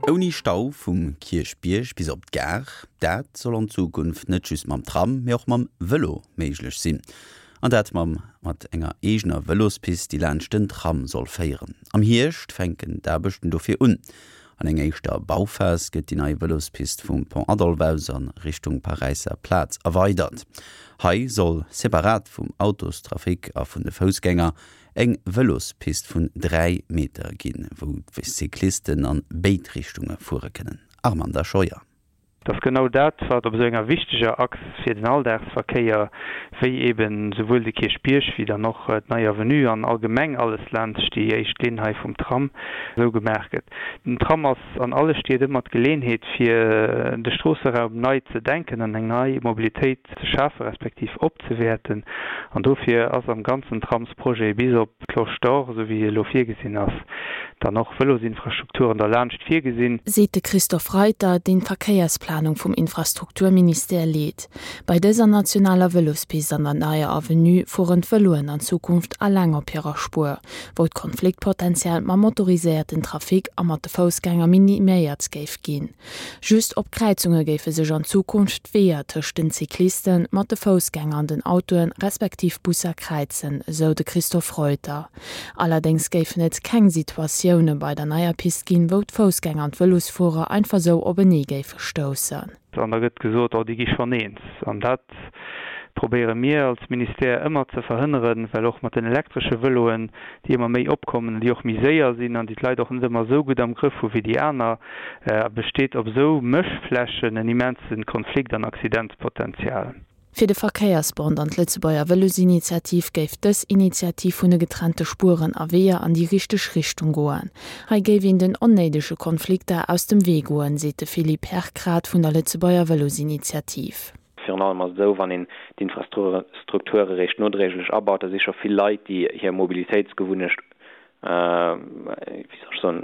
Ouni Stau vum Kierchbierg bis op d'Gare, dat soll an Zukunft net just mam Tram, mee och mam Vëlo méiglech sinn. An dat mam mat enger eegener Vëlospist, déi laanscht den Tram soll féieren. Am Hierscht fänken d'Aarbechten dofir un. An enger éischter Bauphas gëtt déi nei Vëlospist vum Pont Adolphe aus a Richtung Paräisser Plaz erweidert. Hei soll separat vum Autostrafic a vun de Foussgänger eng Vëlospist vun 3 Meter ginn, wou d'Cyclisten an béid Richtunge fuere kënnen. Armand Scheuer. Et ass genau dat, wat op esou enger wichteger Achs fir den Alldagsverkéier, wéi eeben souwuel de Kierchbierg wéi dann och d'Nei Avenue an allgemeng alles laanscht déi éischt Linn hei vum Tram, esou gemaach gëtt. Den Tram ass an alle Stied ëmmer d'Geleenheet, fir de Stroosseraum nei ze denken an eng nei Mobilitéit ze schafe respektiv opzewäerten. An dofir ass am ganzen Tramsprojet bis op d'Cloche d'Or, esou wéi e elo virgesinn ass, dann och Vëlosinfrastrukturen derlaanscht virgesinn. Seet de Christophe Reiter, deen d'Verkéiersplanung vum Infrastrukturministère leet. Bei dëser nationaler Vëlospist an der neier Avenue fueren d'Vëloen an Zukunft alleng op hirer Spuer, wou d'Konfliktpotential mam motoriséierten Trafic a mat de Foussgänger miniméiert géif ginn. Just op Kräizunge géife sech an Zukunft d'Weeër tëscht den Cyclisten, mat de Foussgänger an den Autoen, respektiv Busser kräizen, esou de Christophe Reuter. Allerdéngs géifen et keng Situatioune bei der neier Pist ginn, wou d'Foussgänger an d'Vëlosfuerer einfach sou openee géife stoussen. An da gëtt gesot, oh déi gi schonn eens. An dat probéiere mir als Ministère ëmmer ze verhënneren, well och mat den elektresche Vëloen, déi ëmmer méi opkommen an déi och méi séier sinn an déi d'Leit och net ëmmer esou gutt am Grëff hu wéi déi aner, besteet op esou Mëschflächen en immense Konflikt an Accidentspotenzial. Fir de Verkéiersbond an d'Lëtzebuerger Vëlosinitiativ géif dës Initiativ vun de getrennte Spueren a Weeër an déi richteg Richtung goen. Hei géif een den onnéidege Konflikter aus dem Wee goen, seet de Philippe Herkrath vun der Lëtzebuerger Vëlosinitiativ. Virun allem ass et esou, wann een d'Infrastrukture eréischt nodréiglech abaut, da si scho vill Leit, déi hir Mobilitéitsgewunnecht, wéi soll ech soen,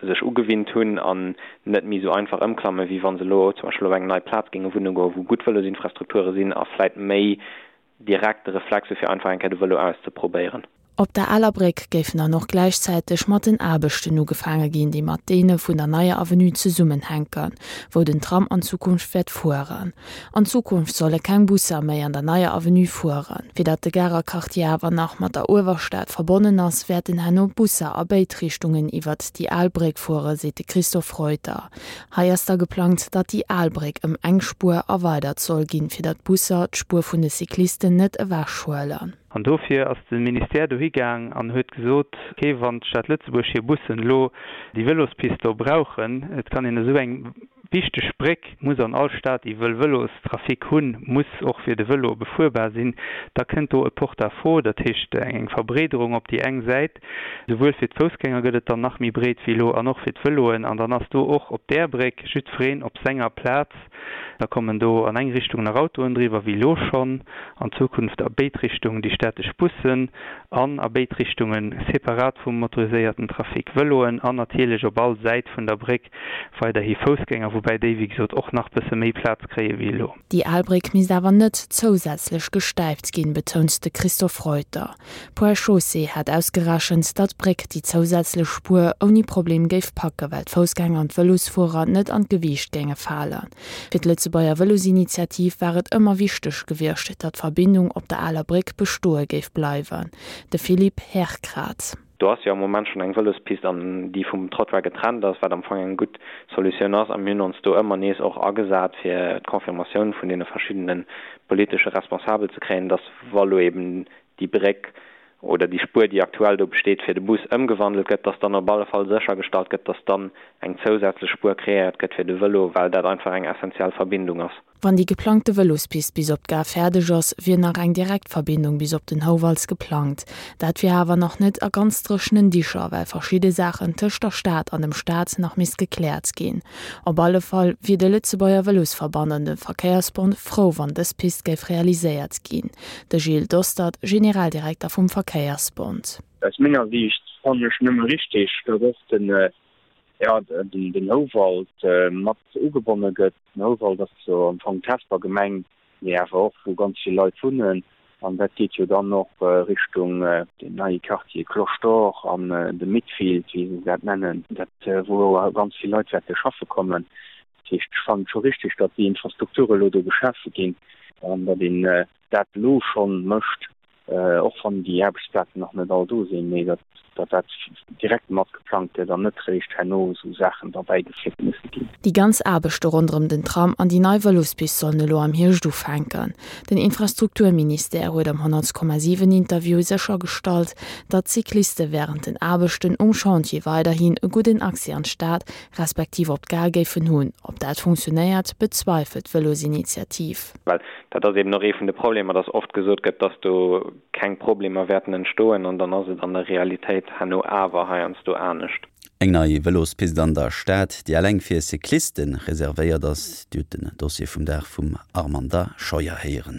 sech ugewinnt hunn an net méi esou einfach ëmklammen, wéi wa se elo zum Beispill op eng nei Plaz géinge wunne goen, wou gutt Vëlosinfrastrukture sinn a vläit méi direkt de Reflex hu fir einfach eng Kéier de Vëlo auszeprobéieren. Op der aler Bréck géifen dann och gläichzäiteg mat den Aarbechten ugefaange ginn, déi mat deene vun der neier Avenue zesummenhänken, wou den Tram an Zukunft wäert fueren. An Zukunft solle keng Busser méi an der neier Avenue fueren. Fir datt de Garer Quartier awer nach mat der Uewerstad verbonnen ass, wäerten herno Busser a béid Richtungen iwwert déi al Bréck fuere, seet de Christophe Reuter. Hei ass da geplangt, datt déi al Bréck ëm eng Spuer erweidert soll ginn, fir datt d'Busser d'Spuer vun de Cyclisten net ewechhuelen. An dofir ass de Ministère dohi gaang an huet gesot, okay, wann d'Stad Lëtzebuerg hir Bussen elo déi Vëlospist do brauchen, et kann een esou eng wichteg Bréck muss an all Stad, déi wëll Vëlostrafic hunn, muss och fir de Vëlo befuerbar sinn, da kënnt do e Porte-à-faux, dat heescht eng Verbreederung op déi eng Säit, souwuel fir d'Foussgänger gëtt et dann nach méi breet wéi elo an och fir d'Vëloen an dann ass do och op där Bréck jiddwereen op senger Plaz. Da kommen do an eng Richtung nach Autoen driwwer wéi elo schonn, an Zukunft a béid Richtungen déi städtesch Bussen an a béid Richtunge separat vum motoriséierten Trafic Vëloen an natierlech op all Säit vun der Bréck weiderhi Foussgänger, woubäi déi wéi gesot och nach bësse méi Plaz kréie wéi elo. Déi al Bréck misst awer net zousätzlech gestäipt ginn, betount de Christophe Reuter. D'Point Chaussée hat ausgerechent, datt d'Bréck déi zousätzlech Spuer ouni Problem géif packen, well d'Foussgänger an d'Vëlosfuerer net an d'Gewiicht géinge falen. Fir d'Lëtzebuerger Vëlosinitiativ war et ëmmer wichteg gewiescht, datt d'Verbindung op der aler Bréck bestoe géif bleiwen. De Philippe Herkrath. Do ass jo am Moment schonn eng Vëlospist an déi vum Trottoir getrennt ass, wat am Fong eng gutt Solutioun ass. A mir hunn ons do ëmmer nees och agesat, fir d'Confirmatioun vun deene verschiddene politesche Responsabel ze kréien, dass wa lo eben déi Bréck oder déi Spuer, déi aktuell do besteet, fir de Bus ëmgewandelt gëtt, dass dann op alle Fall séchergestallt gëtt, dass dann eng zousätzlech Spuer kreéiert gëtt fir de Vëlo, well dat einfach eng essentiell Verbindung ass. Wann déi geplangte Vëlospist bis op d'Gare fäerdeg ass, wier nach eng Direktverbindung bis op den Houwald geplangt. Dat wier awer nach net a ganz dréchenen Dicher, well verschidde Saachen tëscht der Stad an dem Staat nach misst gekläert ginn. Op alle Fall wier de Lëtzebuerger Vëlosverband an de Verkéiersbond frou, wann dës Pist géif realiséiert ginn. De Gilles Dostert, Generaldirekter vum Verkéiersbond. Aus menger Siicht fannen ech nëmme richteg, datt och den, jo, den Houwald mat ugebonne gëtt. Den Houwald ass jo am Fong d'Hesper Gemeng, mee awer och wou ganz vill Leit wunnen. An dat geet jo dann och Richtung deen neie Quartier Cloche d'Or an de Midfield, wéi se dat nennen, dat wou ganz vill Leit wäerte schaffe kommen. Dat heescht, ech fannen et scho richtig, datt déi Infrastrukture elo do geschafe ginn an datt een dat elo schonn mécht, och wann déi Aarbechtsplazen nach net all do sinn, mee datt dat direkt mat geplangt gëtt an net réischt herno esou Saachen derbäigefléckt musse ginn. Déi ganz Aarbechte ronderëm den Tram an déi nei Vëlospist sollen elo am Hierscht ufänken. Den Infrastrukturministère huet am 100,7 Interview séchergestallt, datt d'Cycliste wärend den Aarbechten um Chantier weiderhin e gudden Accès an d'Stad respektiv op d'Gare géifen hunn. Ob dat funktionéiert, bezweifelt d'Vëlosinitiativ. Well dat ass eben och ee vun de Problemer, dass oft gesot gëtt, dass do keng Problemer wäerten entstoen, an dann ass et an der Realitéit herno awer heiansdo anescht. Eng nei Vëlospist an der Stad, déi eleng fir Cycliste reservéiert ass. Dir hutt den Dossier vum Dag vum Armanda Scheuer héieren.